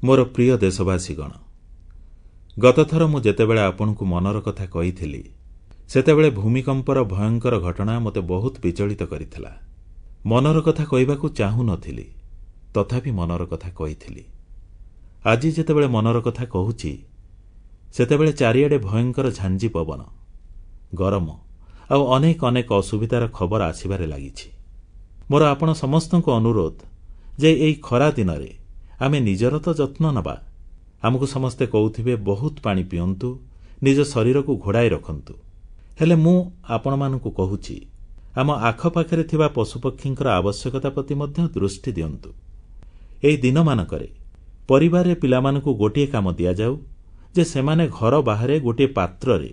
ମୋର ପ୍ରିୟ ଦେଶବାସୀଗଣ, ଗତଥର ମୁଁ ଯେତେବେଳେ ଆପଣଙ୍କୁ ମନର କଥା କହିଥିଲି, ସେତେବେଳେ ଭୂମିକମ୍ପର ଭୟଙ୍କର ଘଟଣା ମୋତେ ବହୁତ ବିଚଳିତ କରିଥିଲା। ମନର କଥା କହିବାକୁ ଚାହୁଁ ନ ଥିଲି, ତଥାପି ମନର କଥା କହିଥିଲି। ଆଜି ଯେତେବେଳେ ମନର କଥା କହୁଛି, ସେତେବେଳେ ଚାରିଆଡ଼େ ଭୟଙ୍କର ଝାଞ୍ଜି ପବନ, ଗରମ ଆଉ ଅନେକ ଅନେକ ଅସୁବିଧାର ଖବର ଆସିବାରେ ଲାଗିଛି। ମୋର ଆପଣ ସମସ୍ତଙ୍କୁ ଅନୁରୋଧ ଯେ ଏହି ଖରା ଦିନରେ ଆମେ ନିଜର ତ ଯତ୍ନ ନେବା। ଆମକୁ ସମସ୍ତେ କହୁଥିବେ ବହୁତ ପାଣି ପିଅନ୍ତୁ, ନିଜ ଶରୀରକୁ ଘୋଡ଼ାଇ ରଖନ୍ତୁ। ହେଲେ ମୁଁ ଆପଣମାନଙ୍କୁ କହୁଛି, ଆମ ଆଖପାଖରେ ଥିବା ପଶୁପକ୍ଷୀଙ୍କର ଆବଶ୍ୟକତା ପ୍ରତି ମଧ୍ୟ ଦୃଷ୍ଟି ଦିଅନ୍ତୁ। ଏହି ଦିନମାନଙ୍କରେ ପରିବାରରେ ପିଲାମାନଙ୍କୁ ଗୋଟିଏ କାମ ଦିଆଯାଉ ଯେ ସେମାନେ ଘର ବାହାରେ ଗୋଟିଏ ପାତ୍ରରେ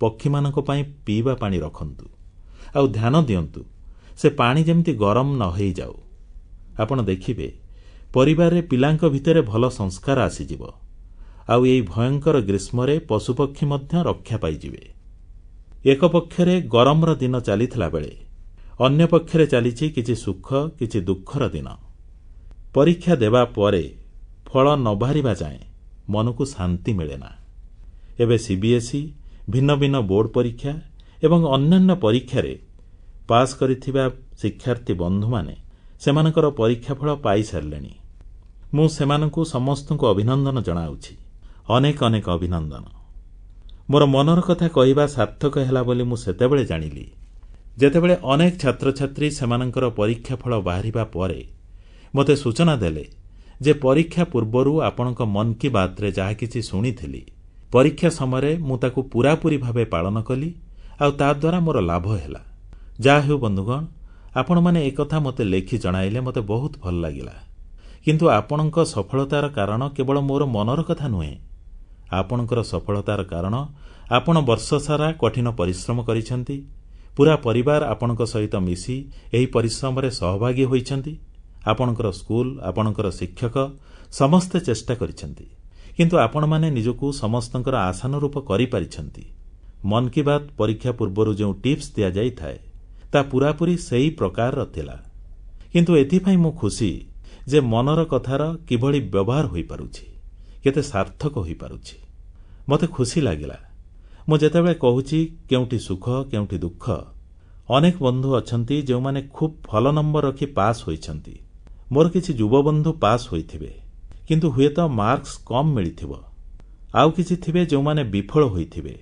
ପକ୍ଷୀମାନଙ୍କ ପାଇଁ ପିଇବା ପାଣି ରଖନ୍ତୁ ଆଉ ଧ୍ୟାନ ଦିଅନ୍ତୁ ସେ ପାଣି ଯେମିତି ଗରମ ନ ହୋଇଯାଉ। ଆପଣ ଦେଖିବେ, ପରିବାରରେ ପିଲାଙ୍କ ଭିତରେ ଭଲ ସଂସ୍କାର ଆସିଯିବ ଆଉ ଏହି ଭୟଙ୍କର ଗ୍ରୀଷ୍ମରେ ପଶୁପକ୍ଷୀ ମଧ୍ୟ ରକ୍ଷା ପାଇଯିବେ। ଏକ ପକ୍ଷରେ ଗରମର ଦିନ ଚାଲିଥିଲା ବେଳେ ଅନ୍ୟ ପକ୍ଷରେ ଚାଲିଛି କିଛି ସୁଖ, କିଛି ଦୁଃଖର ଦିନ। ପରୀକ୍ଷା ଦେବା ପରେ ଫଳ ନ ବାହାରିବା ଯାଏଁ ମନକୁ ଶାନ୍ତି ମିଳେନା। ଏବେ ସିବିଏସ୍ଇ, ଭିନ୍ନ ଭିନ୍ନ ବୋର୍ଡ ପରୀକ୍ଷା ଏବଂ ଅନ୍ୟାନ୍ୟ ପରୀକ୍ଷାରେ ପାସ୍ କରିଥିବା ଶିକ୍ଷାର୍ଥୀ ବନ୍ଧୁମାନେ ସେମାନଙ୍କର ପରୀକ୍ଷାଫଳ ପାଇସାରିଲେଣି। ମୁଁ ସେମାନଙ୍କୁ ସମସ୍ତଙ୍କୁ ଅଭିନନ୍ଦନ ଜଣାଉଛି। ଅନେକ ଅନେକ ଅଭିନନ୍ଦନ। ମୋର ମନର କଥା କହିବା ସାର୍ଥକ ହେଲା ବୋଲି ମୁଁ ସେତେବେଳେ ଜାଣିଲି, ଯେତେବେଳେ ଅନେକ ଛାତ୍ରଛାତ୍ରୀ ସେମାନଙ୍କର ପରୀକ୍ଷାଫଳ ବାହାରିବା ପରେ ମୋତେ ସୂଚନା ଦେଲେ ଯେ ପରୀକ୍ଷା ପୂର୍ବରୁ ଆପଣଙ୍କ ମନ୍ କି ବାତ୍ରେ ଯାହା କିଛି ଶୁଣିଥିଲି, ପରୀକ୍ଷା ସମୟରେ ମୁଁ ତାକୁ ପୂରାପୂରି ଭାବେ ପାଳନ କଲି ଆଉ ତାଦ୍ୱାରା ମୋର ଲାଭ ହେଲା। ଯାହାହେଉ ବନ୍ଧୁଗଣ, ଆପଣମାନେ ଏକଥା ମୋତେ ଲେଖି ଜଣାଇଲେ ମୋତେ ବହୁତ ଭଲ ଲାଗିଲା। କିନ୍ତୁ ଆପଣଙ୍କ ସଫଳତାର କାରଣ କେବଳ ମୋର ମନର କଥା ନୁହେଁ। ଆପଣଙ୍କର ସଫଳତାର କାରଣ ଆପଣ ବର୍ଷସାରା କଠିନ ପରିଶ୍ରମ କରିଛନ୍ତି, ପୂରା ପରିବାର ଆପଣଙ୍କ ସହିତ ମିଶି ଏହି ପରିଶ୍ରମରେ ସହଭାଗୀ ହୋଇଛନ୍ତି, ଆପଣଙ୍କର ସ୍କୁଲ, ଆପଣଙ୍କର ଶିକ୍ଷକ ସମସ୍ତେ ଚେଷ୍ଟା କରିଛନ୍ତି, କିନ୍ତୁ ଆପଣମାନେ ନିଜକୁ ସମସ୍ତଙ୍କର ଆଶାନୁରୂପ କରିପାରିଛନ୍ତି। ମନ୍ କି ବାତ୍ ପରୀକ୍ଷା ପୂର୍ବରୁ ଯେଉଁ ଟିପ୍ସ ଦିଆଯାଇଥାଏ, ତା ପୂରାପୂରି ସେହି ପ୍ରକାରର ଥିଲା। କିନ୍ତୁ ଏଥିପାଇଁ ମୁଁ ଖୁସି ଯେ ମନର କଥାର କିଭଳି ବ୍ୟବହାର ହୋଇପାରୁଛି, କେତେ ସାର୍ଥକ ହୋଇପାରୁଛି। ମୋତେ ଖୁସି ଲାଗିଲା। ମୁଁ ଯେତେବେଳେ କହୁଛି କେଉଁଠି ସୁଖ, କେଉଁଠି ଦୁଃଖ, ଅନେକ ବନ୍ଧୁ ଅଛନ୍ତି ଯେଉଁମାନେ ଖୁବ୍ ଭଲ ନମ୍ବର ରଖି ପାସ୍ ହୋଇଛନ୍ତି। ମୋର କିଛି ଯୁବବନ୍ଧୁ ପାସ୍ ହୋଇଥିବେ, କିନ୍ତୁ ହୁଏତ ମାର୍କସ୍ କମ୍ ମିଳିଥିବ। ଆଉ କିଛି ଥିବେ ଯେଉଁମାନେ ବିଫଳ ହୋଇଥିବେ।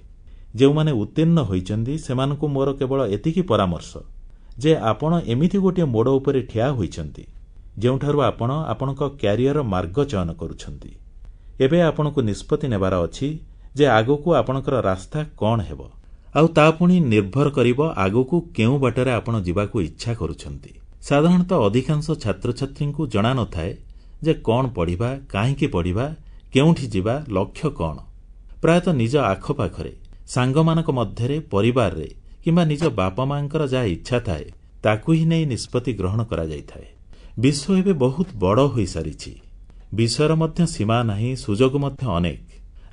ଯେଉଁମାନେ ଉତ୍ତୀର୍ଣ୍ଣ ହୋଇଛନ୍ତି, ସେମାନଙ୍କୁ ମୋର କେବଳ ଏତିକି ପରାମର୍ଶ ଯେ ଆପଣ ଏମିତି ଗୋଟିଏ ମୋଡ଼ ଉପରେ ଠିଆ ହୋଇଛନ୍ତି ଯେଉଁଠାରୁ ଆପଣ ଆପଣଙ୍କ କ୍ୟାରିୟର ମାର୍ଗ ଚୟନ କରୁଛନ୍ତି। ଏବେ ଆପଣଙ୍କୁ ନିଷ୍ପତ୍ତି ନେବାର ଅଛି ଯେ ଆଗକୁ ଆପଣଙ୍କର ରାସ୍ତା କଣ ହେବ, ଆଉ ତା ପୁଣି ନିର୍ଭର କରିବ ଆଗକୁ କେଉଁ ବାଟରେ ଆପଣ ଯିବାକୁ ଇଚ୍ଛା କରୁଛନ୍ତି। ସାଧାରଣତଃ ଅଧିକାଂଶ ଛାତ୍ରଛାତ୍ରୀଙ୍କୁ ଜଣା ନ ଥାଏ ଯେ କଣ ପଢ଼ିବା, କାହିଁକି ପଢ଼ିବା, କେଉଁଠି ଯିବା, ଲକ୍ଷ୍ୟ କଣ। ପ୍ରାୟତଃ ନିଜ ଆଖପାଖରେ, ସାଙ୍ଗମାନଙ୍କ ମଧ୍ୟରେ, ପରିବାରରେ କିମ୍ବା ନିଜ ବାପା ମାଙ୍କର ଯାହା ଇଚ୍ଛା ଥାଏ ତାକୁ ହିଁ ନେଇ ନିଷ୍ପତ୍ତି ଗ୍ରହଣ କରାଯାଇଥାଏ। ବିଶ୍ୱ ଏବେ ବହୁତ ବଡ଼ ହୋଇସାରିଛି। ବିଷୟର ମଧ୍ୟ ସୀମା ନାହିଁ, ସୁଯୋଗ ମଧ୍ୟ ଅନେକ।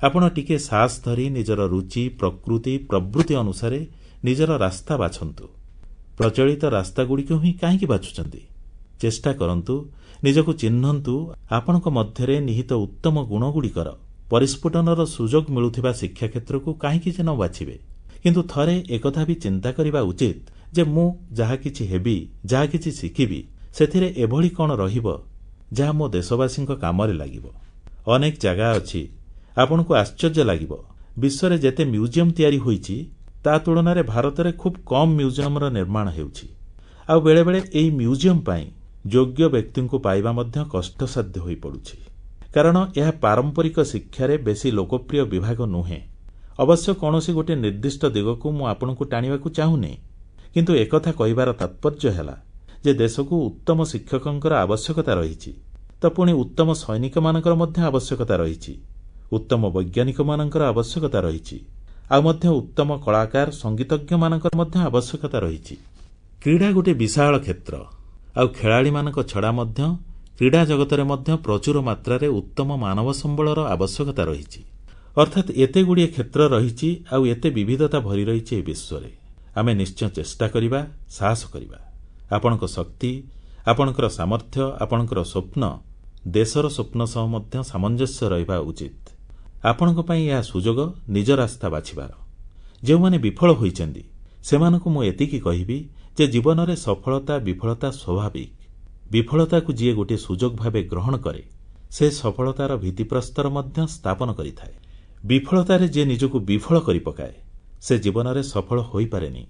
ଆପଣ ଟିକିଏ ସାହସ ଧରି ନିଜର ରୁଚି, ପ୍ରକୃତି, ପ୍ରବୃତ୍ତି ଅନୁସାରେ ନିଜର ରାସ୍ତା ବାଛନ୍ତୁ। ପ୍ରଚଳିତ ରାସ୍ତାଗୁଡ଼ିକୁ ହିଁ କାହିଁକି ବାଛୁଛନ୍ତି? ଚେଷ୍ଟା କରନ୍ତୁ, ନିଜକୁ ଚିହ୍ନନ୍ତୁ। ଆପଣଙ୍କ ମଧ୍ୟରେ ନିହିତ ଉତ୍ତମ ଗୁଣଗୁଡ଼ିକର ପରିସ୍ଫୁଟନର ସୁଯୋଗ ମିଳୁଥିବା ଶିକ୍ଷା କ୍ଷେତ୍ରକୁ କାହିଁକି ଯେ ନ ବାଛିବେ? କିନ୍ତୁ ଥରେ ଏକଥା ବି ଚିନ୍ତା କରିବା ଉଚିତ ଯେ ମୁଁ ଯାହା କିଛି ହେବି, ଯାହା କିଛି ଶିଖିବି, ସେଥିରେ ଏଭଳି କଣ ରହିବ ଯାହା ମୋ ଦେଶବାସୀଙ୍କ କାମରେ ଲାଗିବ। ଅନେକ ଜାଗା ଅଛି, ଆପଣଙ୍କୁ ଆଶ୍ଚର୍ଯ୍ୟ ଲାଗିବ, ବିଶ୍ୱରେ ଯେତେ ମ୍ୟୁଜିୟମ ତିଆରି ହୋଇଛି ତା ତୁଳନାରେ ଭାରତରେ ଖୁବ୍ କମ୍ ମ୍ୟୁଜିୟମର ନିର୍ମାଣ ହେଉଛି। ଆଉ ବେଳେବେଳେ ଏହି ମ୍ୟୁଜିୟମ ପାଇଁ ଯୋଗ୍ୟ ବ୍ୟକ୍ତିଙ୍କୁ ପାଇବା ମଧ୍ୟ କଷ୍ଟସାଧ୍ୟ ହୋଇପଡ଼ୁଛି, କାରଣ ଏହା ପାରମ୍ପରିକ ଶିକ୍ଷାରେ ବେଶୀ ଲୋକପ୍ରିୟ ବିଭାଗ ନୁହେଁ। ଅବଶ୍ୟ କୌଣସି ଗୋଟିଏ ନିର୍ଦ୍ଦିଷ୍ଟ ଦିଗକୁ ମୁଁ ଆପଣଙ୍କୁ ଟାଣିବାକୁ ଚାହୁଁନି, କିନ୍ତୁ ଏକଥା କହିବାର ତାତ୍ପର୍ଯ୍ୟ ହେଲା ଯେ ଦେଶକୁ ଉତ୍ତମ ଶିକ୍ଷକଙ୍କର ଆବଶ୍ୟକତା ରହିଛି, ତ ପୁଣି ଉତ୍ତମ ସୈନିକମାନଙ୍କର ମଧ୍ୟ ଆବଶ୍ୟକତା ରହିଛି, ଉତ୍ତମ ବୈଜ୍ଞାନିକମାନଙ୍କର ଆବଶ୍ୟକତା ରହିଛି, ଆଉ ମଧ୍ୟ ଉତ୍ତମ କଳାକାର, ସଙ୍ଗୀତଜ୍ଞମାନଙ୍କର ମଧ୍ୟ ଆବଶ୍ୟକତା ରହିଛି। କ୍ରୀଡ଼ା ଗୋଟିଏ ବିଶାଳ କ୍ଷେତ୍ର, ଆଉ ଖେଳାଳିମାନଙ୍କ ଛଡ଼ା ମଧ୍ୟ କ୍ରୀଡ଼ା ଜଗତରେ ମଧ୍ୟ ପ୍ରଚୁର ମାତ୍ରାରେ ଉତ୍ତମ ମାନବ ସମ୍ବଳର ଆବଶ୍ୟକତା ରହିଛି। ଅର୍ଥାତ୍ ଏତେ ଗୁଡ଼ିଏ କ୍ଷେତ୍ର ରହିଛି ଆଉ ଏତେ ବିବିଧତା ଭରି ରହିଛି ଏହି ବିଶ୍ୱରେ। ଆମେ ନିଶ୍ଚୟ ଚେଷ୍ଟା କରିବା, ସାହସ କରିବା। ଆପଣଙ୍କ ଶକ୍ତି, ଆପଣଙ୍କର ସାମର୍ଥ୍ୟ, ଆପଣଙ୍କର ସ୍ୱପ୍ନ ଦେଶର ସ୍ୱପ୍ନ ସହ ମଧ୍ୟ ସାମଞ୍ଜସ୍ୟ ରହିବା ଉଚିତ। ଆପଣଙ୍କ ପାଇଁ ଏହା ସୁଯୋଗ ନିଜ ରାସ୍ତା ବାଛିବାର। ଯେଉଁମାନେ ବିଫଳ ହୋଇଛନ୍ତି ସେମାନଙ୍କୁ ମୁଁ ଏତିକି କହିବି ଯେ ଜୀବନରେ ସଫଳତା ବିଫଳତା ସ୍ୱାଭାବିକ। ବିଫଳତାକୁ ଯିଏ ଗୋଟିଏ ସୁଯୋଗ ଭାବେ ଗ୍ରହଣ କରେ ସେ ସଫଳତାର ଭିତ୍ତିପ୍ରସ୍ତର ମଧ୍ୟ ସ୍ଥାପନ କରିଥାଏ। ବିଫଳତାରେ ଯିଏ ନିଜକୁ ବିଫଳ କରିପକାଏ ସେ ଜୀବନରେ ସଫଳ ହୋଇପାରେନି।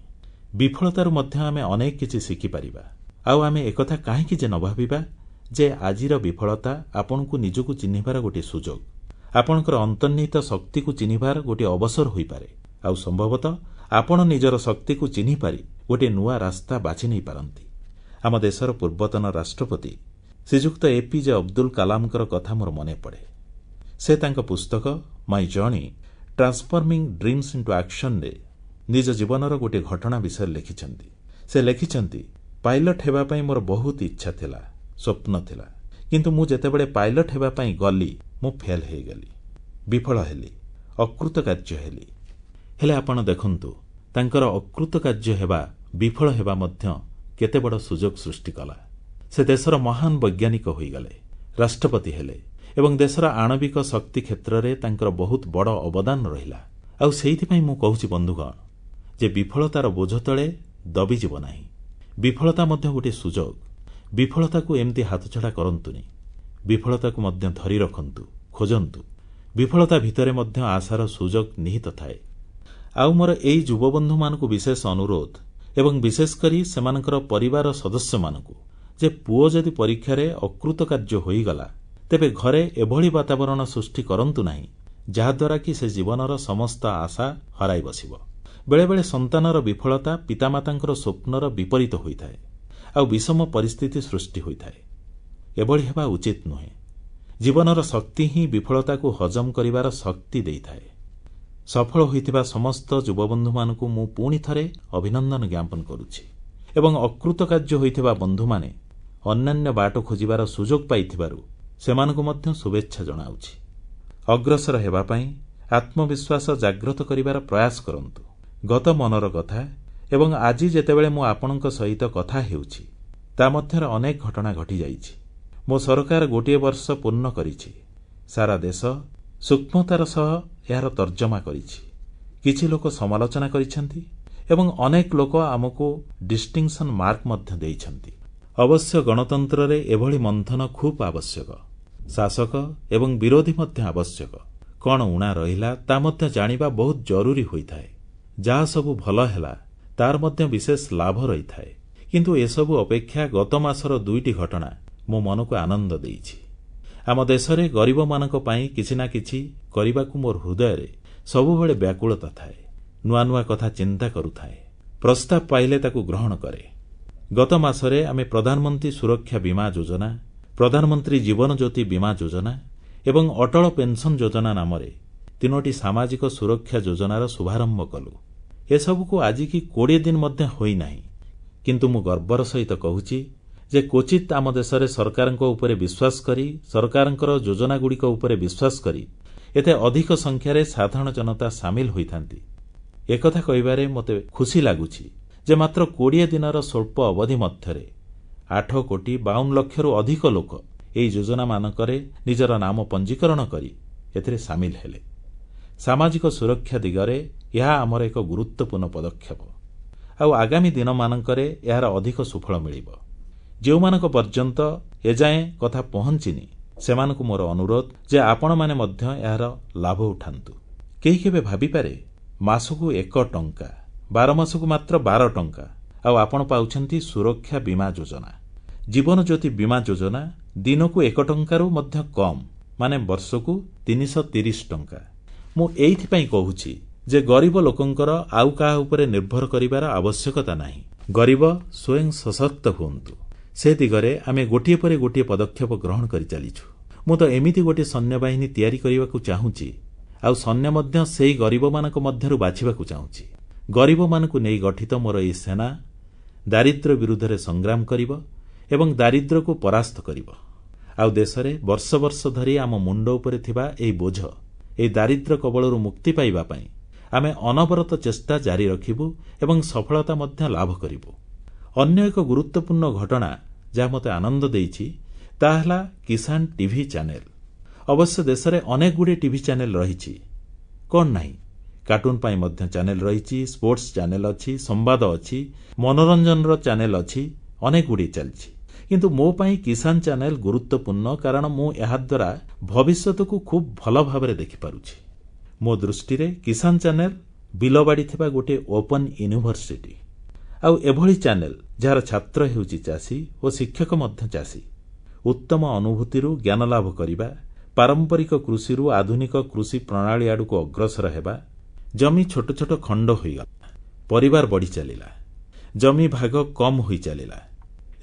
ବିଫଳତାରୁ ମଧ୍ୟ ଆମେ ଅନେକ କିଛି ଶିଖିପାରିବା। ଆଉ ଆମେ ଏକଥା କାହିଁକି ଯେ ନ ଭାବିବା ଯେ ଆଜିର ବିଫଳତା ଆପଣଙ୍କୁ ନିଜକୁ ଚିହ୍ନିବାର ଗୋଟିଏ ସୁଯୋଗ, ଆପଣଙ୍କର ଅନ୍ତର୍ନିହିତ ଶକ୍ତିକୁ ଚିହ୍ନିବାର ଗୋଟିଏ ଅବସର ହୋଇପାରେ। ଆଉ ସମ୍ଭବତଃ ଆପଣ ନିଜର ଶକ୍ତିକୁ ଚିହ୍ନିପାରି ଗୋଟିଏ ନୂଆ ରାସ୍ତା ବାଛି ନେଇପାରନ୍ତି। ଆମ ଦେଶର ପୂର୍ବତନ ରାଷ୍ଟ୍ରପତି ଶ୍ରୀଯୁକ୍ତ ଏପିଜେ ଅବଦୁଲ କାଲାମଙ୍କର କଥା ମୋର ମନେପଡ଼େ। ସେ ତାଙ୍କ ପୁସ୍ତକ my journey transforming dreams into ଆକ୍ସନରେ ନିଜ ଜୀବନର ଗୋଟିଏ ଘଟଣା ବିଷୟରେ ଲେଖିଛନ୍ତି। ସେ ଲେଖିଛନ୍ତି, ପାଇଲଟ ହେବା ପାଇଁ ମୋର ବହୁତ ଇଚ୍ଛା ଥିଲା, ସ୍ୱପ୍ନ ଥିଲା, କିନ୍ତୁ ମୁଁ ଯେତେବେଳେ ପାଇଲଟ ହେବା ପାଇଁ ଗଲି ମୁଁ ଫେଲ୍ ହେଇଗଲି, ବିଫଳ ହେଲି, ଅକୃତକାର୍ଯ୍ୟ ହେଲି। ହେଲେ ଆପଣ ଦେଖନ୍ତୁ, ତାଙ୍କର ଅକୃତକାର୍ଯ୍ୟ ହେବା, ବିଫଳ ହେବା ମଧ୍ୟ କେତେ ବଡ଼ ସୁଯୋଗ ସୃଷ୍ଟି କଲା। ସେ ଦେଶର ମହାନ ବୈଜ୍ଞାନିକ ହୋଇଗଲେ, ରାଷ୍ଟ୍ରପତି ହେଲେ ଏବଂ ଦେଶର ଆଣବିକ ଶକ୍ତି କ୍ଷେତ୍ରରେ ତାଙ୍କର ବହୁତ ବଡ଼ ଅବଦାନ ରହିଲା। ଆଉ ସେଇଥିପାଇଁ ମୁଁ କହୁଛି ବନ୍ଧୁଗଣ ଯେ ବିଫଳତାର ବୋଝ ତଳେ ଦବିଯିବ ନାହିଁ। ବିଫଳତା ମଧ୍ୟ ଗୋଟିଏ ସୁଯୋଗ। ବିଫଳତାକୁ ଏମିତି ହାତଛଡ଼ା କରନ୍ତୁନି। ବିଫଳତାକୁ ମଧ୍ୟ ଧରି ରଖନ୍ତୁ, ଖୋଜନ୍ତୁ। ବିଫଳତା ଭିତରେ ମଧ୍ୟ ଆଶାର ସୁଯୋଗ ନିହିତ ଥାଏ। ଆଉ ମୋର ଏଇ ଯୁବବନ୍ଧୁମାନଙ୍କୁ ବିଶେଷ ଅନୁରୋଧ ଏବଂ ବିଶେଷ କରି ସେମାନଙ୍କର ପରିବାର ସଦସ୍ୟମାନଙ୍କୁ ଯେ ପୁଅ ଯଦି ପରୀକ୍ଷାରେ ଅକୃତକାର୍ଯ୍ୟ ହୋଇଗଲା ତେବେ ଘରେ ଏଭଳି ବାତାବରଣ ସୃଷ୍ଟି କରନ୍ତୁ ନାହିଁ ଯାହାଦ୍ୱାରା କି ସେ ଜୀବନର ସମସ୍ତ ଆଶା ହରାଇ ବସିବ। ବେଳେବେଳେ ସନ୍ତାନର ବିଫଳତା ପିତାମାତାଙ୍କର ସ୍ୱପ୍ନର ବିପରୀତ ହୋଇଥାଏ ଆଉ ବିଷମ ପରିସ୍ଥିତି ସୃଷ୍ଟି ହୋଇଥାଏ। ଏଭଳି ହେବା ଉଚିତ ନୁହେଁ। ଜୀବନର ଶକ୍ତି ହିଁ ବିଫଳତାକୁ ହଜମ କରିବାର ଶକ୍ତି ଦେଇଥାଏ। ସଫଳ ହୋଇଥିବା ସମସ୍ତ ଯୁବବନ୍ଧୁମାନଙ୍କୁ ମୁଁ ପୁଣି ଥରେ ଅଭିନନ୍ଦନ ଜ୍ଞାପନ କରୁଛି ଏବଂ ଅକୃତକାର୍ଯ୍ୟ ହୋଇଥିବା ବନ୍ଧୁମାନେ ଅନ୍ୟାନ୍ୟ ବାଟ ଖୋଜିବାର ସୁଯୋଗ ପାଇଥିବାରୁ ସେମାନଙ୍କୁ ମଧ୍ୟ ଶୁଭେଚ୍ଛା ଜଣାଉଛି। ଅଗ୍ରସର ହେବା ପାଇଁ ଆତ୍ମବିଶ୍ୱାସ ଜାଗ୍ରତ କରିବାର ପ୍ରୟାସ କରନ୍ତୁ। ଗତ ମନର କଥା ଏବଂ ଆଜି ଯେତେବେଳେ ମୁଁ ଆପଣଙ୍କ ସହିତ କଥା ହେଉଛି ତା ମଧ୍ୟରେ ଅନେକ ଘଟଣା ଘଟିଯାଇଛି। ମୋ ସରକାର ଗୋଟିଏ ବର୍ଷ ପୂର୍ଣ୍ଣ କରିଛି। ସାରା ଦେଶ ସୂକ୍ଷ୍ମତାର ସହ ଏହାର ତର୍ଜମା କରିଛି। କିଛି ଲୋକ ସମାଲୋଚନା କରିଛନ୍ତି ଏବଂ ଅନେକ ଲୋକ ଆମକୁ ଡିଷ୍ଟିଂସନ ମାର୍କ ମଧ୍ୟ ଦେଇଛନ୍ତି। ଅବଶ୍ୟ ଗଣତନ୍ତ୍ରରେ ଏଭଳି ମନ୍ଥନ ଖୁବ୍ ଆବଶ୍ୟକ। ଶାସକ ଏବଂ ବିରୋଧୀ ମଧ୍ୟ ଆବଶ୍ୟକ। କଣ ଊଣା ରହିଲା ତା ମଧ୍ୟ ଜାଣିବା ବହୁତ ଜରୁରୀ ହୋଇଥାଏ। ଯାହା ସବୁ ଭଲ ହେଲା ତାର ମଧ୍ୟ ବିଶେଷ ଲାଭ ରହିଥାଏ। କିନ୍ତୁ ଏସବୁ ଅପେକ୍ଷା ଗତ ମାସର ଦୁଇଟି ଘଟଣା ମୋ ମନକୁ ଆନନ୍ଦ ଦେଇଛି। ଆମ ଦେଶରେ ଗରିବମାନଙ୍କ ପାଇଁ କିଛି ନା କିଛି କରିବାକୁ ମୋର ହୃଦୟରେ ସବୁବେଳେ ବ୍ୟାକୁଳତା ଥାଏ। ନୂଆ ନୂଆ କଥା ଚିନ୍ତା କରୁଥାଏ, ପ୍ରସ୍ତାବ ପାଇଲେ ତାକୁ ଗ୍ରହଣ କରେ। ଗତ ମାସରେ ଆମେ ପ୍ରଧାନମନ୍ତ୍ରୀ ସୁରକ୍ଷା ବୀମା ଯୋଜନା, ପ୍ରଧାନମନ୍ତ୍ରୀ ଜୀବନ ଜ୍ୟୋତି ବୀମା ଯୋଜନା ଏବଂ ଅଟଳ ପେନ୍ସନ୍ ଯୋଜନା ନାମରେ ତିନୋଟି ସାମାଜିକ ସୁରକ୍ଷା ଯୋଜନାର ଶୁଭାରମ୍ଭ କଲୁ। ଏସବୁକୁ ଆଜିକି 20 ଦିନ ମଧ୍ୟ ହୋଇନାହିଁ, କିନ୍ତୁ ମୁଁ ଗର୍ବର ସହିତ କହୁଛି ଯେ କ୍ୱଚିତ୍ ଆମ ଦେଶରେ ସରକାରଙ୍କ ଉପରେ ବିଶ୍ୱାସ କରି, ସରକାରଙ୍କର ଯୋଜନାଗୁଡ଼ିକ ଉପରେ ବିଶ୍ୱାସ କରି ଏତେ ଅଧିକ ସଂଖ୍ୟାରେ ସାଧାରଣ ଜନତା ସାମିଲ ହୋଇଥାନ୍ତି। ଏକଥା କହିବାରେ ମୋତେ ଖୁସି ଲାଗୁଛି ଯେ ମାତ୍ର 20 ଦିନର ସ୍ୱଳ୍ପ ଅବଧି ମଧ୍ୟରେ 8 କୋଟି 52 ଲକ୍ଷରୁ ଅଧିକ ଲୋକ ଏହି ଯୋଜନାମାନଙ୍କରେ ନିଜର ନାମ ପଞ୍ଜୀକରଣ କରି ଏଥିରେ ସାମିଲ ହେଲେ। ସାମାଜିକ ସୁରକ୍ଷା ଦିଗରେ ଏହା ଆମର ଏକ ଗୁରୁତ୍ୱପୂର୍ଣ୍ଣ ପଦକ୍ଷେପ। ଆଉ ଆଗାମୀ ଦିନମାନଙ୍କରେ ଏହାର ଅଧିକ ସୁଫଳ ମିଳିବ। ଯେଉଁମାନଙ୍କ ପର୍ଯ୍ୟନ୍ତ ଏଯାଏଁ କଥା ପହଞ୍ଚିନି ସେମାନଙ୍କୁ ମୋର ଅନୁରୋଧ ଯେ ଆପଣମାନେ ମଧ୍ୟ ଏହାର ଲାଭ ଉଠାନ୍ତୁ। କେହି କେବେ ଭାବିପାରେ ମାସକୁ 1 ଟଙ୍କା, 12 ମାସକୁ ମାତ୍ର 12 ଟଙ୍କା, ଆଉ ଆପଣ ପାଉଛନ୍ତି ସୁରକ୍ଷା ବୀମା ଯୋଜନା, ଜୀବନ ଜ୍ୟୋତି ବୀମା ଯୋଜନା ଦିନକୁ 1 ଟଙ୍କାରୁ ମଧ୍ୟ କମ୍, ମାନେ ବର୍ଷକୁ 330 ଟଙ୍କା। ମୁଁ ଏଇଥିପାଇଁ କହୁଛି ଯେ ଗରିବ ଲୋକଙ୍କର ଆଉ କାହା ଉପରେ ନିର୍ଭର କରିବାର ଆବଶ୍ୟକତା ନାହିଁ। ଗରିବ ସ୍ୱୟଂ ସଶକ୍ତ ହୁଅନ୍ତୁ, ସେ ଦିଗରେ ଆମେ ଗୋଟିଏ ପରେ ଗୋଟିଏ ପଦକ୍ଷେପ ଗ୍ରହଣ କରିଚାଲିଛୁ। ମୁଁ ତ ଏମିତି ଗୋଟିଏ ସୈନ୍ୟବାହିନୀ ତିଆରି କରିବାକୁ ଚାହୁଁଛି, ଆଉ ସୈନ୍ୟ ମଧ୍ୟ ସେହି ଗରିବମାନଙ୍କ ମଧ୍ୟରୁ ବାଛିବାକୁ ଚାହୁଁଛି। ଗରିବମାନଙ୍କୁ ନେଇ ଗଠିତ ମୋର ଏହି ସେନା ଦାରିଦ୍ର୍ୟ ବିରୁଦ୍ଧରେ ସଂଗ୍ରାମ କରିବ ଏବଂ ଦାରିଦ୍ର୍ୟକୁ ପରାସ୍ତ କରିବ। ଆଉ ଦେଶରେ ବର୍ଷ ବର୍ଷ ଧରି ଆମ ମୁଣ୍ଡ ଉପରେ ଥିବା ଏହି ବୋଝ, ଏହି ଦାରିଦ୍ର୍ୟ କବଳରୁ ମୁକ୍ତି ପାଇବା ପାଇଁ ଆମେ ଅନବରତ ଚେଷ୍ଟା ଜାରି ରଖିବୁ ଏବଂ ସଫଳତା ମଧ୍ୟ ଲାଭ କରିବୁ। ଅନ୍ୟ ଏକ ଗୁରୁତ୍ୱପୂର୍ଣ୍ଣ ଘଟଣା ଯାହା ମୋତେ ଆନନ୍ଦ ଦେଇଛି ତାହା ହେଲା କିଷାନ ଟିଭି ଚ୍ୟାନେଲ। ଅବଶ୍ୟ ଦେଶରେ ଅନେକଗୁଡ଼ିଏ ଟିଭି ଚ୍ୟାନେଲ ରହିଛି। କଣ ନାହିଁ, କାର୍ଟୁନ ପାଇଁ ମଧ୍ୟ ଚ୍ୟାନେଲ ରହିଛି, ସ୍ପୋର୍ଟସ ଚ୍ୟାନେଲ ଅଛି, ସମ୍ବାଦ ଅଛି, ମନୋରଞ୍ଜନର ଚ୍ୟାନେଲ ଅଛି, ଅନେକଗୁଡ଼ିଏ ଚାଲିଛି। କିନ୍ତୁ ମୋ ପାଇଁ କିଷାନ ଚ୍ୟାନେଲ ଗୁରୁତ୍ୱପୂର୍ଣ୍ଣ, କାରଣ ମୁଁ ଏହାଦ୍ୱାରା ଭବିଷ୍ୟତକୁ ଖୁବ୍ ଭଲ ଭାବରେ ଦେଖିପାରୁଛି। ମୋ ଦୃଷ୍ଟିରେ କିଷାନ ଚ୍ୟାନେଲ ବିଲବାଡ଼ି ଥିବା ଗୋଟିଏ ଓପନ୍ ୟୁନିଭର୍ସିଟି। ଆଉ ଏଭଳି ଚ୍ୟାନେଲ ଯାହାର ଛାତ୍ର ହେଉଛି ଚାଷୀ ଓ ଶିକ୍ଷକ ମଧ୍ୟ ଚାଷୀ। ଉତ୍ତମ ଅନୁଭୂତିରୁ ଜ୍ଞାନଲାଭ କରିବା, ପାରମ୍ପରିକ କୃଷିରୁ ଆଧୁନିକ କୃଷି ପ୍ରଣାଳୀ ଆଡ଼କୁ ଅଗ୍ରସର ହେବା। ଜମି ଛୋଟ ଛୋଟ ଖଣ୍ଡ ହୋଇଗଲା, ପରିବାର ବଢ଼ିଚାଲିଲା, ଜମି ଭାଗ କମ୍ ହୋଇଚାଲିଲା।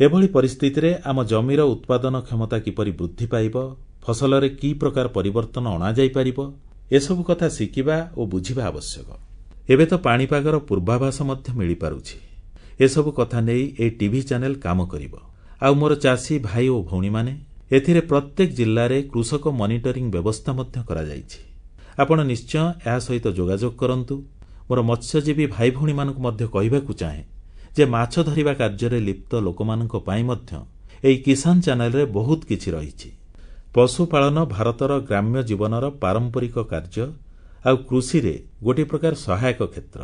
ଏଭଳି ପରିସ୍ଥିତିରେ ଆମ ଜମିର ଉତ୍ପାଦନ କ୍ଷମତା କିପରି ବୃଦ୍ଧି ପାଇବ, ଫସଲରେ କି ପ୍ରକାର ପରିବର୍ତ୍ତନ ଅଣାଯାଇପାରିବ, ଏସବୁ କଥା ଶିଖିବା ଓ ବୁଝିବା ଆବଶ୍ୟକ। ଏବେ ତ ପାଣିପାଗର ପୂର୍ବାଭାସ ମଧ୍ୟ ମିଳିପାରୁଛି। ଏସବୁ କଥା ନେଇ ଏହି ଟିଭି ଚ୍ୟାନେଲ କାମ କରିବ। ଆଉ ମୋର ଚାଷୀ ଭାଇ ଓ ଭଉଣୀମାନେ, ଏଥିରେ ପ୍ରତ୍ୟେକ ଜିଲ୍ଲାରେ କୃଷକ ମନିଟରିଂ ବ୍ୟବସ୍ଥା ମଧ୍ୟ କରାଯାଇଛି। ଆପଣ ନିଶ୍ଚୟ ଏହା ସହିତ ଯୋଗାଯୋଗ କରନ୍ତୁ। ମୋର ମତ୍ସ୍ୟଜୀବୀ ଭାଇ ଭଉଣୀମାନଙ୍କୁ ମଧ୍ୟ କହିବାକୁ ଚାହେଁ ଯେ ମାଛ ଧରିବା କାର୍ଯ୍ୟରେ ଲିପ୍ତ ଲୋକମାନଙ୍କ ପାଇଁ ମଧ୍ୟ ଏହି କିଷାନ ଚ୍ୟାନେଲରେ ବହୁତ କିଛି ରହିଛି। ପଶୁପାଳନ ଭାରତର ଗ୍ରାମ୍ୟ ଜୀବନର ପାରମ୍ପରିକ କାର୍ଯ୍ୟ ଆଉ କୃଷିରେ ଗୋଟିଏ ପ୍ରକାର ସହାୟକ କ୍ଷେତ୍ର।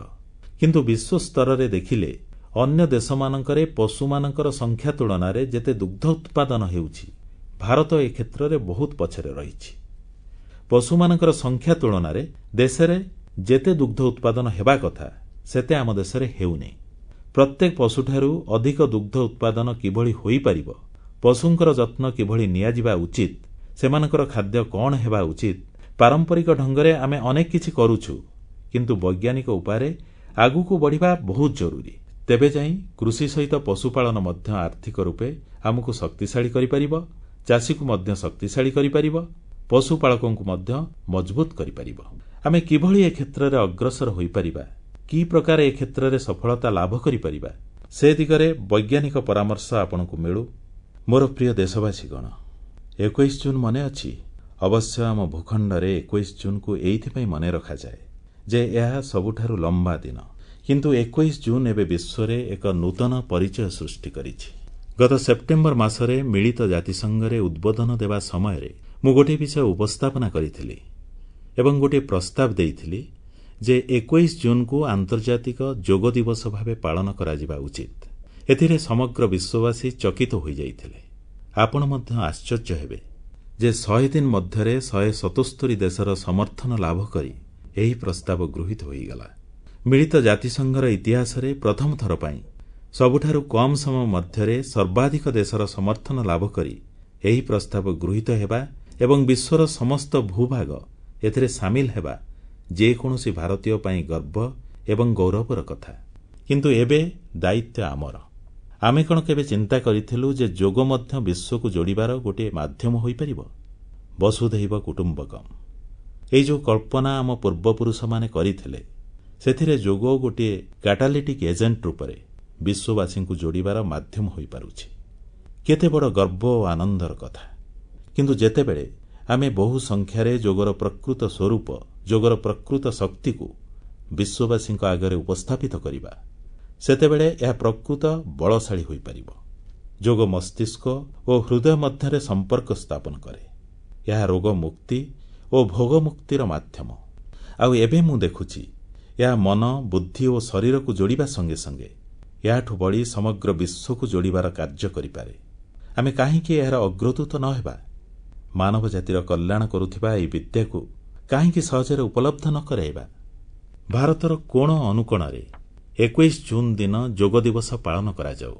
କିନ୍ତୁ ବିଶ୍ୱସ୍ତରରେ ଦେଖିଲେ ଅନ୍ୟ ଦେଶମାନଙ୍କରେ ପଶୁମାନଙ୍କର ସଂଖ୍ୟା ତୁଳନାରେ ଯେତେ ଦୁଗ୍ଧ ଉତ୍ପାଦନ ହେଉଛି, ଭାରତ ଏ କ୍ଷେତ୍ରରେ ବହୁତ ପଛରେ ରହିଛି। ପଶୁମାନଙ୍କର ସଂଖ୍ୟା ତୁଳନାରେ ଦେଶରେ ଯେତେ ଦୁଗ୍ଧ ଉତ୍ପାଦନ ହେବା କଥା, ସେତେ ଆମ ଦେଶରେ ହେଉନି। ପ୍ରତ୍ୟେକ ପଶୁଠାରୁ ଅଧିକ ଦୁଗ୍ଧ ଉତ୍ପାଦନ କିଭଳି ହୋଇପାରିବ, ପଶୁଙ୍କର ଯତ୍ନ କିଭଳି ନିଆଯିବା ଉଚିତ, ସେମାନଙ୍କର ଖାଦ୍ୟ କଣ ହେବା ଉଚିତ, ପାରମ୍ପରିକ ଢଙ୍ଗରେ ଆମେ ଅନେକ କିଛି କରୁଛୁ, କିନ୍ତୁ ବୈଜ୍ଞାନିକ ଉପାୟରେ ଆଗକୁ ବଢ଼ିବା ବହୁତ ଜରୁରୀ। ତେବେ ଯାଇ କୃଷି ସହିତ ପଶୁପାଳନ ମଧ୍ୟ ଆର୍ଥିକ ରୂପେ ଆମକୁ ଶକ୍ତିଶାଳୀ କରିପାରିବ, ଚାଷୀକୁ ମଧ୍ୟ ଶକ୍ତିଶାଳୀ କରିପାରିବ, ପଶୁପାଳକଙ୍କୁ ମଧ୍ୟ ମଜବୁତ କରିପାରିବ। ଆମେ କିଭଳି ଏ କ୍ଷେତ୍ରରେ ଅଗ୍ରସର ହୋଇପାରିବା, କି ପ୍ରକାର ଏ କ୍ଷେତ୍ରରେ ସଫଳତା ଲାଭ କରିପାରିବା, ସେ ଦିଗରେ ବୈଜ୍ଞାନିକ ପରାମର୍ଶ ଆପଣଙ୍କୁ ମିଳୁ। ମୋର ପ୍ରିୟ ଦେଶବାସୀଗଣ, 21 ଜୁନ୍ ମନେ ଅଛି? ଅବଶ୍ୟ ଆମ ଭୂଖଣ୍ଡରେ 21 ଜୁନ୍କୁ ଏଇଥିପାଇଁ ମନେ ରଖାଯାଏ ଯେ ଏହା ସବୁଠାରୁ ଲମ୍ବା ଦିନ। କିନ୍ତୁ 21 ଜୁନ୍ ଏବେ ବିଶ୍ୱରେ ଏକ ନୂତନ ପରିଚୟ ସୃଷ୍ଟି କରିଛି। ଗତ ସେପ୍ଟେମ୍ବର ମାସରେ ମିଳିତ ଜାତିସଂଘରେ ଉଦ୍ବୋଧନ ଦେବା ସମୟରେ ମୁଁ ଗୋଟିଏ ବିଷୟ ଉପସ୍ଥାପନା କରିଥିଲି ଏବଂ ଗୋଟିଏ ପ୍ରସ୍ତାବ ଦେଇଥିଲି ଯେ 21 ଜୁନ୍କୁ ଆନ୍ତର୍ଜାତିକ ଯୋଗ ଦିବସ ଭାବେ ପାଳନ କରାଯିବା ଉଚିତ। ଏଥିରେ ସମଗ୍ର ବିଶ୍ୱବାସୀ ଚକିତ ହୋଇଯାଇଥିଲେ। ଆପଣ ମଧ୍ୟ ଆଶ୍ଚର୍ଯ୍ୟ ହେବେ ଯେ 100 ଦିନ ମଧ୍ୟରେ 177 ଦେଶର ସମର୍ଥନ ଲାଭ କରି ଏହି ପ୍ରସ୍ତାବ ଗୃହୀତ ହୋଇଗଲା। ମିଳିତ ଜାତିସଂଘର ଇତିହାସରେ ପ୍ରଥମ ଥର ପାଇଁ ସବୁଠାରୁ କମ୍ ସମୟ ମଧ୍ୟରେ ସର୍ବାଧିକ ଦେଶର ସମର୍ଥନ ଲାଭ କରି ଏହି ପ୍ରସ୍ତାବ ଗୃହୀତ ହେବା ଏବଂ ବିଶ୍ୱର ସମସ୍ତ ଭୂଭାଗ ଏଥିରେ ସାମିଲ ହେବା ଯେକୌଣସି ଭାରତୀୟ ପାଇଁ ଗର୍ବ ଏବଂ ଗୌରବର କଥା। କିନ୍ତୁ ଏବେ ଦାୟିତ୍ୱ ଆମର। ଆମେ କଣ କେବେ ଚିନ୍ତା କରିଥିଲୁ ଯେ ଯୋଗ ମଧ୍ୟ ବିଶ୍ୱକୁ ଯୋଡ଼ିବାର ଗୋଟିଏ ମାଧ୍ୟମ ହୋଇପାରିବ? ବସୁଧୈବ କୁଟୁମ୍ବକମ୍, ଏଇ ଯେଉଁ କଳ୍ପନା ଆମ ପୂର୍ବପୁରୁଷମାନେ କରିଥିଲେ, ସେଥିରେ ଯୋଗ ଗୋଟିଏ କାଟାଲିଟିକ୍ ଏଜେଣ୍ଟ ରୂପରେ ବିଶ୍ୱବାସୀଙ୍କୁ ଯୋଡ଼ିବାର ମାଧ୍ୟମ ହୋଇପାରୁଛି। କେତେ ବଡ଼ ଗର୍ବ ଓ ଆନନ୍ଦର କଥା! କିନ୍ତୁ ଯେତେବେଳେ ଆମେ ବହୁ ସଂଖ୍ୟାରେ ଯୋଗର ପ୍ରକୃତ ସ୍ୱରୂପ, ଯୋଗର ପ୍ରକୃତ ଶକ୍ତିକୁ ବିଶ୍ୱବାସୀଙ୍କ ଆଗରେ ଉପସ୍ଥାପିତ କରିବା, ସେତେବେଳେ ଏହା ପ୍ରକୃତ ବଳଶାଳୀ ହୋଇପାରିବ। ଯୋଗ ମସ୍ତିଷ୍କ ଓ ହୃଦୟ ମଧ୍ୟରେ ସମ୍ପର୍କ ସ୍ଥାପନ କରେ। ଏହା ରୋଗ ମୁକ୍ତି ଓ ଭୋଗମୁକ୍ତିର ମାଧ୍ୟମ। ଆଉ ଏବେ ମୁଁ ଦେଖୁଛି ଏହା ମନ, ବୁଦ୍ଧି ଓ ଶରୀରକୁ ଯୋଡ଼ିବା ସଙ୍ଗେ ସଙ୍ଗେ ଏହାଠୁ ବଳି ସମଗ୍ର ବିଶ୍ୱକୁ ଯୋଡ଼ିବାର କାର୍ଯ୍ୟ କରିପାରେ। ଆମେ କାହିଁକି ଏହାର ଅଗ୍ରଦୂତ ନ ହେବା? ମାନବ ଜାତିର କଲ୍ୟାଣ କରୁଥିବା ଏହି ବିଦ୍ୟାକୁ କାହିଁକି ସହଜରେ ଉପଲବ୍ଧ ନ କରାଇବା? ଭାରତର କୋଣ ଅନୁକୋଣରେ 21 ଜୁନ୍ ଦିନ ଯୋଗ ଦିବସ ପାଳନ କରାଯାଉ।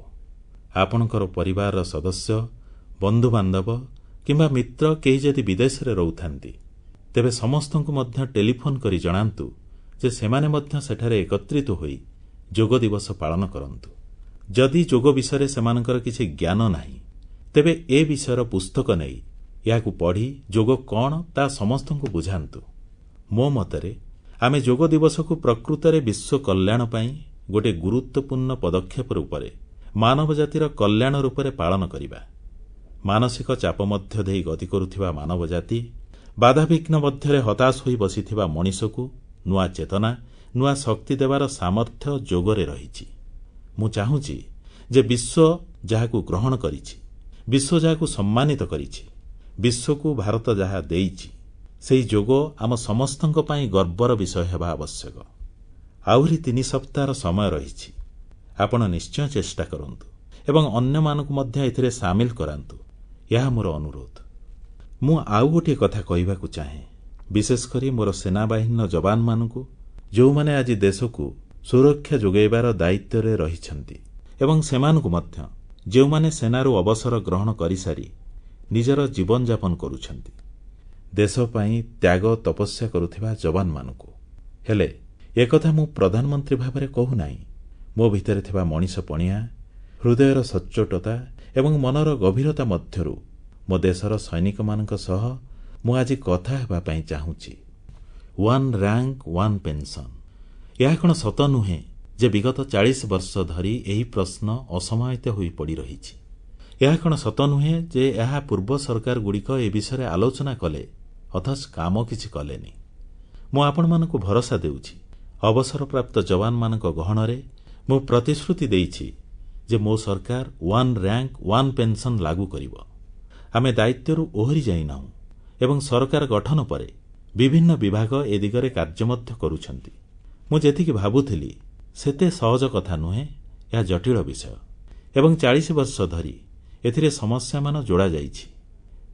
ଆପଣଙ୍କର ପରିବାରର ସଦସ୍ୟ, ବନ୍ଧୁବାନ୍ଧବ କିମ୍ବା ମିତ୍ର କେହି ଯଦି ବିଦେଶରେ ରହୁଥାନ୍ତି, ତେବେ ସମସ୍ତଙ୍କୁ ମଧ୍ୟ ଟେଲିଫୋନ କରି ଜଣାନ୍ତୁ ଯେ ସେମାନେ ମଧ୍ୟ ସେଠାରେ ଏକତ୍ରିତ ହୋଇ ଯୋଗ ଦିବସ ପାଳନ କରନ୍ତୁ। ଯଦି ଯୋଗ ବିଷୟରେ ସେମାନଙ୍କର କିଛି ଜ୍ଞାନ ନାହିଁ, ତେବେ ଏ ବିଷୟର ପୁସ୍ତକ ନେଇ ଏହାକୁ ପଢ଼ି ଯୋଗ କଣ ତାହା ସମସ୍ତଙ୍କୁ ବୁଝାନ୍ତୁ। ମୋ ମତରେ ଆମେ ଯୋଗ ଦିବସକୁ ପ୍ରକୃତରେ ବିଶ୍ୱ କଲ୍ୟାଣ ପାଇଁ ଗୋଟିଏ ଗୁରୁତ୍ୱପୂର୍ଣ୍ଣ ପଦକ୍ଷେପ ରୂପରେ, ମାନବ ଜାତିର କଲ୍ୟାଣ ରୂପରେ ପାଳନ କରିବା। ମାନସିକ ଚାପ ମଧ୍ୟ ଦେଇ ଗତି କରୁଥିବା ମାନବ ଜାତି, ବାଧାବିଘ୍ନ ମଧ୍ୟରେ ହତାଶ ହୋଇ ବସିଥିବା ମଣିଷକୁ ନୂଆ ଚେତନା, ନୂଆ ଶକ୍ତି ଦେବାର ସାମର୍ଥ୍ୟ ଯୋଗରେ ରହିଛି। ମୁଁ ଚାହୁଁଛି ଯେ ବିଶ୍ୱ ଯାହାକୁ ଗ୍ରହଣ କରିଛି, ବିଶ୍ୱ ଯାହାକୁ ସମ୍ମାନିତ କରିଛି, ବିଶ୍ୱକୁ ଭାରତ ଯାହା ଦେଇଛି, ସେହି ଯୋଗ ଆମ ସମସ୍ତଙ୍କ ପାଇଁ ଗର୍ବର ବିଷୟ ହେବା ଆବଶ୍ୟକ। ଆହୁରି 3 ସପ୍ତାହର ସମୟ ରହିଛି। ଆପଣ ନିଶ୍ଚୟ ଚେଷ୍ଟା କରନ୍ତୁ ଏବଂ ଅନ୍ୟମାନଙ୍କୁ ମଧ୍ୟ ଏଥିରେ ସାମିଲ କରାନ୍ତୁ, ଏହା ମୋର ଅନୁରୋଧ। ମୁଁ ଆଉ ଗୋଟିଏ କଥା କହିବାକୁ ଚାହେଁ, ବିଶେଷକରି ମୋର ସେନାବାହିନୀର ଯବାନମାନଙ୍କୁ, ଯେଉଁମାନେ ଆଜି ଦେଶକୁ ସୁରକ୍ଷା ଯୋଗାଇବାର ଦାୟିତ୍ୱରେ ରହିଛନ୍ତି ଏବଂ ସେମାନଙ୍କୁ ମଧ୍ୟ ଯେଉଁମାନେ ସେନାରୁ ଅବସର ଗ୍ରହଣ କରିସାରି ନିଜର ଜୀବନଯାପନ କରୁଛନ୍ତି, ଦେଶ ପାଇଁ ତ୍ୟାଗ ତପସ୍ୟା କରୁଥିବା ଯବାନମାନଙ୍କୁ। ହେଲେ ଏକଥା ମୁଁ ପ୍ରଧାନମନ୍ତ୍ରୀ ଭାବରେ କହୁନାହିଁ। ମୋ ଭିତରେ ଥିବା ମଣିଷ ପଣିଆ, ହୃଦୟର ସଚ୍ଚୋଟତା ଏବଂ ମନର ଗଭୀରତା ମଧ୍ୟରୁ ମୋ ଦେଶର ସୈନିକମାନଙ୍କ ସହ ମୁଁ ଆଜି କଥା ହେବା ପାଇଁ ଚାହୁଁଛି। 1 ରାଙ୍କ 1 ପେନ୍ସନ୍, ଏହା କଣ ସତ ନୁହେଁ ଯେ ବିଗତ 40 ବର୍ଷ ଧରି ଏହି ପ୍ରଶ୍ନ ଅସମାହିତ ହୋଇ ପଡ଼ି ରହିଛି? ଏହା କଣ ସତ ନୁହେଁ ଯେ ଏହା ପୂର୍ବ ସରକାରଗୁଡ଼ିକ ଏ ବିଷୟରେ ଆଲୋଚନା କଲେ, ଅଥଚ କାମ କିଛି କଲେନି? ମୁଁ ଆପଣମାନଙ୍କୁ ଭରସା ଦେଉଛି, ଅବସରପ୍ରାପ୍ତ ଯବାନମାନଙ୍କ ଗହଣରେ ମୁଁ ପ୍ରତିଶ୍ରୁତି ଦେଇଛି ଯେ ମୋ ସରକାର 1 ରାଙ୍କ 1 ପେନ୍ସନ୍ ଲାଗୁ କରିବ। ଆମେ ଦାୟିତ୍ୱରୁ ଓହରି ଯାଇନାହୁଁ ଏବଂ ସରକାର ଗଠନ ପରେ ବିଭିନ୍ନ ବିଭାଗ ଏ ଦିଗରେ କାର୍ଯ୍ୟ ମଧ୍ୟ କରୁଛନ୍ତି। ମୁଁ ଯେତିକି ଭାବୁଥିଲି ସେତେ ସହଜ କଥା ନୁହେଁ, ଏହା ଜଟିଳ ବିଷୟ ଏବଂ 40 ବର୍ଷ ଧରି ଏଥିରେ ସମସ୍ୟାମାନ ଯୋଡ଼ାଯାଇଛି।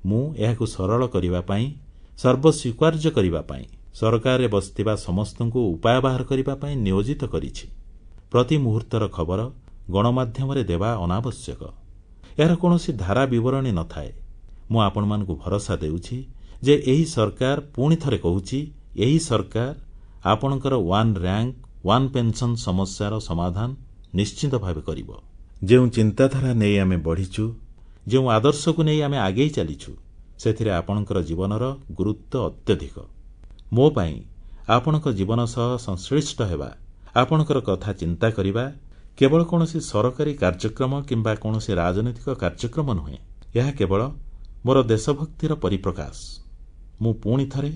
ମୁଁ ଏହାକୁ ସରଳ କରିବା ପାଇଁ, ସର୍ବସ୍ୱୀକାର୍ଯ୍ୟ କରିବା ପାଇଁ, ସରକାରରେ ବସିଥିବା ସମସ୍ତଙ୍କୁ ଉପାୟ ବାହାର କରିବା ପାଇଁ ନିୟୋଜିତ କରିଛି। ପ୍ରତି ମୁହୂର୍ତ୍ତର ଖବର ଗଣମାଧ୍ୟମରେ ଦେବା ଅନାବଶ୍ୟକ। ଏହାର କୌଣସି ଧାରା ବିବରଣୀ ନଥାଏ। ମୁଁ ଆପଣମାନଙ୍କୁ ଭରସା ଦେଉଛି ଯେ ଏହି ସରକାର, ପୁଣି ଥରେ କହୁଛି, ଏହି ସରକାର ଆପଣଙ୍କର 1 ରାଙ୍କ 1 ପେନ୍ସନ୍ ସମସ୍ୟାର ସମାଧାନ ନିଶ୍ଚିତ ଭାବେ କରିବ। ଯେଉଁ ଚିନ୍ତାଧାରା ନେଇ ଆମେ ବଢ଼ିଛୁ, ଯେଉଁ ଆଦର୍ଶକୁ ନେଇ ଆମେ ଆଗେଇ ଚାଲିଛୁ, ସେଥିରେ ଆପଣଙ୍କର ଜୀବନର ଗୁରୁତ୍ୱ ଅତ୍ୟଧିକ। ମୋ ପାଇଁ ଆପଣଙ୍କ ଜୀବନ ସହ ସଂଶ୍ଳିଷ୍ଟ ହେବା, ଆପଣଙ୍କର କଥା ଚିନ୍ତା କରିବା କେବଳ କୌଣସି ସରକାରୀ କାର୍ଯ୍ୟକ୍ରମ କିମ୍ବା କୌଣସି ରାଜନୈତିକ କାର୍ଯ୍ୟକ୍ରମ ନୁହେଁ, ଏହା କେବଳ ମୋର ଦେଶଭକ୍ତିର ପରିପ୍ରକାଶ। ମୁଁ ପୁଣି ଥରେ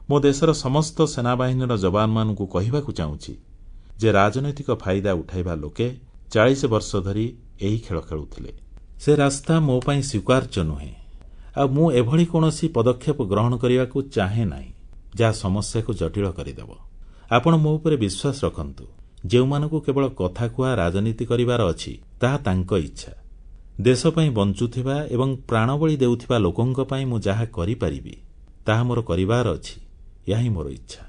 ମୋ ଦେଶର ସମସ୍ତ ସେନାବାହିନୀର ଯବାନମାନଙ୍କୁ କହିବାକୁ ଚାହୁଁଛି ଯେ ରାଜନୈତିକ ଫାଇଦା ଉଠାଇବା ଲୋକେ 40 ବର୍ଷ ଧରି ଏହି ଖେଳ ଖେଳୁଥିଲେ। ସେ ରାସ୍ତା ମୋ ପାଇଁ ସ୍ୱୀକାର୍ଯ୍ୟ ନୁହେଁ। ଆଉ ମୁଁ ଏଭଳି କୌଣସି ପଦକ୍ଷେପ ଗ୍ରହଣ କରିବାକୁ ଚାହେଁ ନାହିଁ ଯାହା ସମସ୍ୟାକୁ ଜଟିଳ କରିଦେବ। ଆପଣ ମୋ ଉପରେ ବିଶ୍ୱାସ ରଖନ୍ତୁ। ଯେଉଁମାନଙ୍କୁ କେବଳ କଥା କୁହା ରାଜନୀତି କରିବାର ଅଛି, ତାହା ତାଙ୍କ ଇଚ୍ଛା। ଦେଶ ପାଇଁ ବଞ୍ଚୁଥିବା ଏବଂ ପ୍ରାଣବଳି ଦେଉଥିବା ଲୋକଙ୍କ ପାଇଁ ମୁଁ ଯାହା କରିପାରିବି ତାହା ମୋର କରିବାର ଅଛି, ଏହା ହିଁ ମୋର ଇଚ୍ଛା।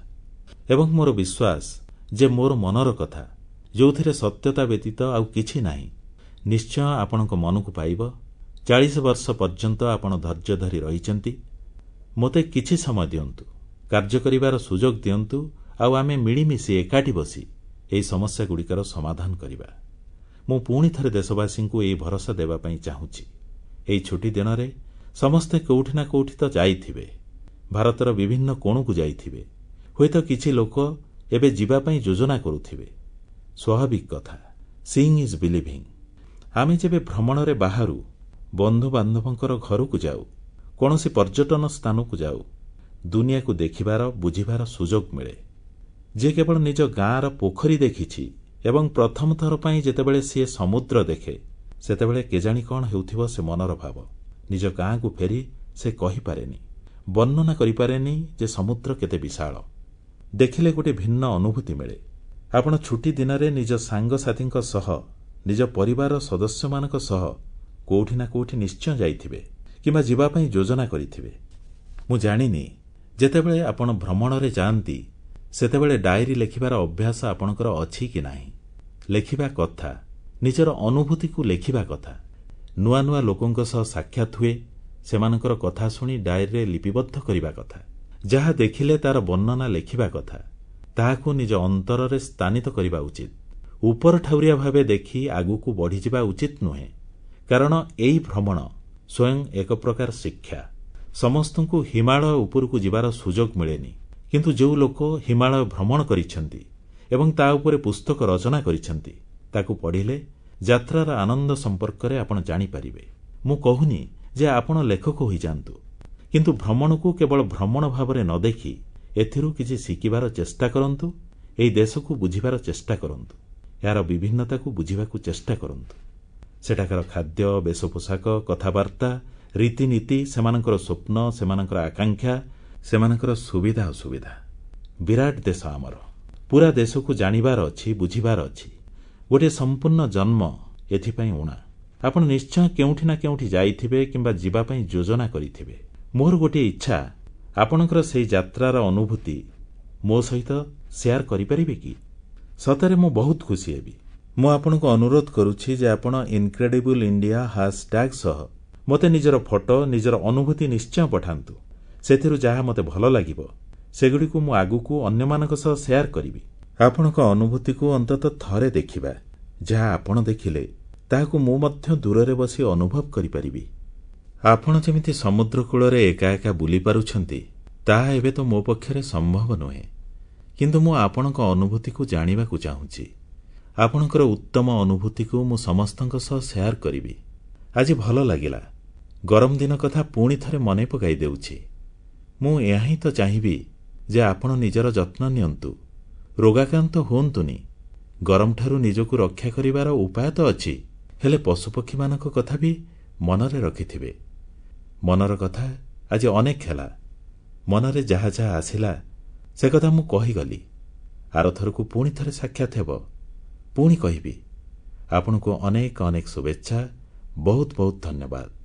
ଏବଂ ମୋର ବିଶ୍ୱାସ ଯେ ମୋର ମନର କଥା, ଯେଉଁଥିରେ ସତ୍ୟତା ବ୍ୟତୀତ ଆଉ କିଛି ନାହିଁ, ନିଶ୍ଚୟ ଆପଣଙ୍କ ମନକୁ ପାଇବ। 40 ବର୍ଷ ପର୍ଯ୍ୟନ୍ତ ଆପଣ ଧୈର୍ଯ୍ୟ ଧରି ରହିଛନ୍ତି। ମୋତେ କିଛି ସମୟ ଦିଅନ୍ତୁ, କାର୍ଯ୍ୟ କରିବାର ସୁଯୋଗ ଦିଅନ୍ତୁ, ଆଉ ଆମେ ମିଳିମିଶି ଏକାଠି ବସି ଏହି ସମସ୍ୟାଗୁଡ଼ିକର ସମାଧାନ କରିବା। ମୁଁ ପୁଣି ଥରେ ଦେଶବାସୀଙ୍କୁ ଏହି ଭରସା ଦେବା ପାଇଁ ଚାହୁଁଛି। ଏହି ଛୁଟି ଦିନରେ ସମସ୍ତେ କୋଉଠି ନା କୋଉଠି ତ ଯାଇଥିବେ, ଭାରତର ବିଭିନ୍ନ କୋଣକୁ ଯାଇଥିବେ, ହୁଏତ କିଛି ଲୋକ ଏବେ ଯିବା ପାଇଁ ଯୋଜନା କରୁଥିବେ। ସ୍ୱାଭାବିକ କଥା, ସିଇଂ is believing. ଆମେ ଯେବେ ଭ୍ରମଣରେ ବାହାରୁ, ବନ୍ଧୁବାନ୍ଧବଙ୍କର ଘରକୁ ଯାଉ, କୌଣସି ପର୍ଯ୍ୟଟନ ସ୍ଥାନକୁ ଯାଉ, ଦୁନିଆକୁ ଦେଖିବାର, ବୁଝିବାର ସୁଯୋଗ ମିଳେ। ଯିଏ କେବଳ ନିଜ ଗାଁର ପୋଖରୀ ଦେଖିଛି ଏବଂ ପ୍ରଥମ ଥର ପାଇଁ ଯେତେବେଳେ ସିଏ ସମୁଦ୍ର ଦେଖେ, ସେତେବେଳେ କେଜାଣି କଣ ହେଉଥିବ ସେ ମନର ଭାବ। ନିଜ ଗାଁକୁ ଫେରି ସେ କହିପାରେନି, ବର୍ଣ୍ଣନା କରିପାରେନି ଯେ ସମୁଦ୍ର କେତେ ବିଶାଳ। ଦେଖିଲେ ଗୋଟିଏ ଭିନ୍ନ ଅନୁଭୂତି ମିଳେ। ଆପଣ ଛୁଟି ଦିନରେ ନିଜ ସାଙ୍ଗସାଥୀଙ୍କ ସହ, ନିଜ ପରିବାରର ସଦସ୍ୟମାନଙ୍କ ସହ କୋଉଠି ନା କୋଉଠି ନିଶ୍ଚୟ ଯାଇଥିବେ କିମ୍ବା ଯିବା ପାଇଁ ଯୋଜନା କରିଥିବେ। ମୁଁ ଜାଣିନି, ଯେତେବେଳେ ଆପଣ ଭ୍ରମଣରେ ଯାଆନ୍ତି ସେତେବେଳେ ଡାଏରୀ ଲେଖିବାର ଅଭ୍ୟାସ ଆପଣଙ୍କର ଅଛି କି ନାହିଁ। ଲେଖିବା କଥା, ନିଜର ଅନୁଭୂତିକୁ ଲେଖିବା କଥା। ନୂଆ ନୂଆ ଲୋକଙ୍କ ସହ ସାକ୍ଷାତ ହୁଏ, ସେମାନଙ୍କର କଥା ଶୁଣି ଡାଏରୀରେ ଲିପିବଦ୍ଧ କରିବା କଥା। ଯାହା ଦେଖିଲେ ତାର ବର୍ଣ୍ଣନା ଲେଖିବା କଥା। ତାହାକୁ ନିଜ ଅନ୍ତରରେ ସ୍ଥାନିତ କରିବା ଉଚିତ। ଉପର ଠାଉରିଆ ଭାବେ ଦେଖି ଆଗକୁ ବଢ଼ିଯିବା ଉଚିତ ନୁହେଁ, କାରଣ ଏହି ଭ୍ରମଣ ସ୍ୱୟଂ ଏକ ପ୍ରକାର ଶିକ୍ଷା। ସମସ୍ତଙ୍କୁ ହିମାଳୟ ଉପରକୁ ଯିବାର ସୁଯୋଗ ମିଳେନି, କିନ୍ତୁ ଯେଉଁ ଲୋକ ହିମାଳୟ ଭ୍ରମଣ କରିଛନ୍ତି ଏବଂ ତା ଉପରେ ପୁସ୍ତକ ରଚନା କରିଛନ୍ତି, ତାକୁ ପଢ଼ିଲେ ଯାତ୍ରାର ଆନନ୍ଦ ସମ୍ପର୍କରେ ଆପଣ ଜାଣିପାରିବେ। ମୁଁ କହୁନି ଯେ ଆପଣ ଲେଖକ ହୋଇଯାଆନ୍ତୁ, କିନ୍ତୁ ଭ୍ରମଣକୁ କେବଳ ଭ୍ରମଣ ଭାବରେ ନ ଦେଖି ଏଥିରୁ କିଛି ଶିଖିବାର ଚେଷ୍ଟା କରନ୍ତୁ। ଏହି ଦେଶକୁ ବୁଝିବାର ଚେଷ୍ଟା କରନ୍ତୁ, ଏହାର ବିଭିନ୍ନତାକୁ ବୁଝିବାକୁ ଚେଷ୍ଟା କରନ୍ତୁ। ସେଠାକାର ଖାଦ୍ୟ, ବେଶପୋଷାକ, କଥାବାର୍ତ୍ତା, ରୀତିନୀତି, ସେମାନଙ୍କର ସ୍ୱପ୍ନ, ସେମାନଙ୍କର ଆକାଂକ୍ଷା, ସେମାନଙ୍କର ସୁବିଧା ଅସୁବିଧା। ବିରାଟ ଦେଶ ଆମର। ପୁରା ଦେଶକୁ ଜାଣିବାର ଅଛି, ବୁଝିବାର ଅଛି। ଗୋଟିଏ ସମ୍ପୂର୍ଣ୍ଣ ଜନ୍ମ ଏଥିପାଇଁ ଊଣା। ଆପଣ ନିଶ୍ଚୟ କେଉଁଠି ନା କେଉଁଠି ଯାଇଥିବେ କିମ୍ବା ଯିବା ପାଇଁ ଯୋଜନା କରିଥିବେ। ମୋର ଗୋଟିଏ ଇଚ୍ଛା, ଆପଣଙ୍କର ସେହି ଯାତ୍ରାର ଅନୁଭୂତି ମୋ ସହିତ ଶେୟାର କରିପାରିବେ କି? ସତରେ ମୁଁ ବହୁତ ଖୁସି ହେବି। ମୁଁ ଆପଣଙ୍କୁ ଅନୁରୋଧ କରୁଛି ଯେ ଆପଣ ଇନକ୍ରେଡିବଲ୍ ଇଣ୍ଡିଆ ହ୍ୟାଶଟ୍ୟାଗ ସହ ମୋତେ ନିଜର ଫଟୋ, ନିଜର ଅନୁଭୂତି ନିଶ୍ଚୟ ପଠାନ୍ତୁ। ସେଥିରୁ ଯାହା ମୋତେ ଭଲ ଲାଗିବ, ସେଗୁଡ଼ିକୁ ମୁଁ ଆଗକୁ ଅନ୍ୟମାନଙ୍କ ସହ ଶେୟାର କରିବି। ଆପଣଙ୍କ ଅନୁଭୂତିକୁ ଅନ୍ତତଃ ଥରେ ଦେଖିବା। ଯାହା ଆପଣ ଦେଖିଲେ, ତାହାକୁ ମୁଁ ମଧ୍ୟ ଦୂରରେ ବସି ଅନୁଭବ କରିପାରିବି। ଆପଣ ଯେମିତି ସମୁଦ୍ରକୂଳରେ ଏକା ଏକା ବୁଲିପାରୁଛନ୍ତି, ତାହା ଏବେ ତ ମୋ ପକ୍ଷରେ ସମ୍ଭବ ନୁହେଁ। କିନ୍ତୁ ମୁଁ ଆପଣଙ୍କ ଅନୁଭୂତିକୁ ଜାଣିବାକୁ ଚାହୁଁଛି। ଆପଣଙ୍କର ଉତ୍ତମ ଅନୁଭୂତିକୁ ମୁଁ ସମସ୍ତଙ୍କ ସହ ଶେୟାର କରିବି। ଆଜି ଭଲ ଲାଗିଲା। ଗରମ ଦିନ କଥା ପୁଣି ଥରେ ମନେ ପକାଇ ଦେଉଛି। ମୁଁ ଏହା ହିଁ ତ ଚାହିଁବି ଯେ ଆପଣ ନିଜର ଯତ୍ନ ନିଅନ୍ତୁ, ରୋଗାକ୍ରାନ୍ତ ହୁଅନ୍ତୁନି। ଗରମଠାରୁ ନିଜକୁ ରକ୍ଷା କରିବାର ଉପାୟ ତ ଅଛି, ହେଲେ ପଶୁପକ୍ଷୀମାନଙ୍କ କଥା ବି ମନରେ ରଖିଥିବେ। ମନର କଥା ଆଜି ଅନେକ ହେଲା। ମନରେ ଯାହା ଯାହା ଆସିଲା ସେ କଥା ମୁଁ କହିଗଲି। ଆରଥରକୁ ପୁଣି ଥରେ ସାକ୍ଷାତ ହେବ, ପୁଣି କହିବି। ଆପଣଙ୍କୁ ଅନେକ ଅନେକ ଶୁଭେଚ୍ଛା। ବହୁତ ବହୁତ ଧନ୍ୟବାଦ।